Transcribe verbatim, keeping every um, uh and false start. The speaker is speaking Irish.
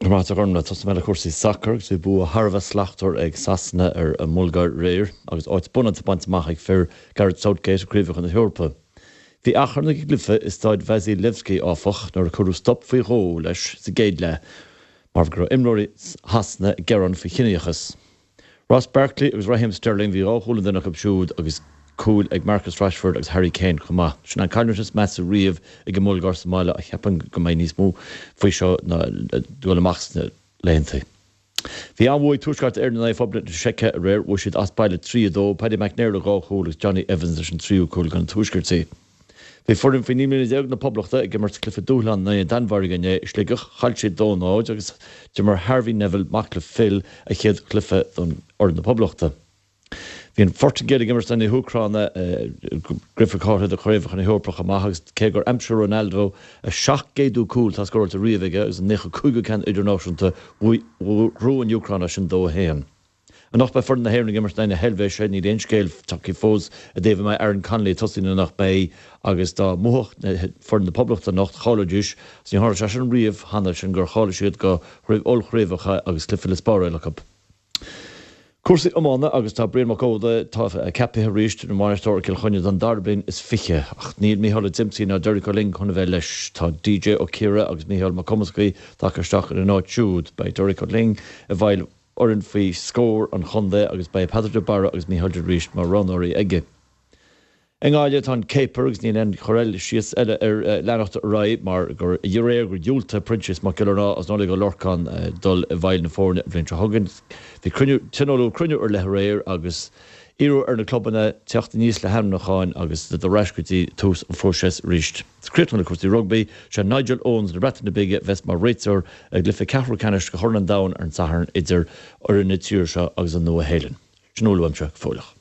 Maith agat, Gormfhlaith. Tosóidh mé le cúrsaí sacair agus bhí bua thar a bheith slachtmhar ag Sasana ar an mBulgáir aréir agus áit bunaithe bainte amach ag fir Gareth Southgate i gCraobhacha na hEorpa. Bhí achrann ag an gcluiche i Staid Vasil Levski áfach nuair a cuireadh stop faoi dhó leis sa gcéad leath mar go raibh imreoirí Shasana ag gearán faoi chiníochas. Ross Barkley agus Raheem Sterling bhí dhá chúl ag duine acu siúd agus cúil ag Marcus Rashford agus Harry Kane chomh maith. Sin an cailliúint is measa riamh ag an mBulgáir sa mbaile a cheapann go mbeidh níos mó faoi seo ná dul amach sna laethanta. Bhí an-bhua ag Tuaisceart Éireann in aghaidh Phoblacht na Seice aréir bhuaigh siad as baile trí a dó, Paddy McNair le dhá chúl agus Johnny Evans leis an tríú cúl don Tuaisceart. Bhí foireann faoi naoi mbliana déag na Poblachta ag imirt cluiche dúshláin in aghaidh na Danmhairge inné i Sligeach chaill siad dó náid agus d'imir Harvey Neville mac le Phil a chéad chluiche don fhoireann na Poblachta. Bhí an Phortaingéil ag imirt na hÚcráine gcluiche cáilithe do chraobhacha na hEorpa amach agus cé gur aimsigh Ronaldo a seacht gcéadú cúl tá scóráilte riamh aige agus an naocha cúigiú ceann idirnáisiúnta bhuaigh an Úcráin sin dó a haon. Anocht beidh foireann na hÉireann ag imirt na hEilvéise níl aon scéal tagtha fós i dtaobh an mbeidh Aaron Connolly ag tosaí nó nach mbeidh agus dá mbuafadh foireann na Poblachta anocht cháileoidís ní tharla sé sin riamh cheana sin gur cháiligh siad go raibh ollchraobhacha agus cluiche le spáráil acu. Cúrsaí iomána agus tá Brian Mac Óda tá ceaptha arís ina bhainisteoir Cill Chainnigh don dara bliain is fiche ach níl Micheál Ó Diomsaí ná Derek Ó Ling chun a bheith leis tá DJ Ó Ciara agus Micheál Mac Cumascaí tagtha isteach ar an áit siúd beidh Derek Ó Ling i bhfeighil fhoireann faoi scór an chontae agus beidh Peadar de Barra agus Micheál de Rís mar roghnóirí aige. I nGaillimh tá an céapair agus níl aon chur eile síos eile ar leanacht ra mar gur aréir gur dhiúltaigh Proinsias Mac Giollarnáth as Nollaig Ó Lorcán dul i bhfeighil na foirne an bhliain seo chugainn. Bhí cruinniú tionóladh cruinniú ar leith aréir agus iarradh ar na clubanna teacht aníos le hainmniúcháin agus ar ais go dtí tús an phróisis arís. Críochnú le cúrsaí rugbaí sé Nigel Owens na Breataine Bige bheas mar réiteoir ag cluiche ceathrú ceannais de Chorn an Domhain ar an Satharn idir fhoireann na tíre seo agus an Nua-Shéalainn. Sin uaimse go fóilleach.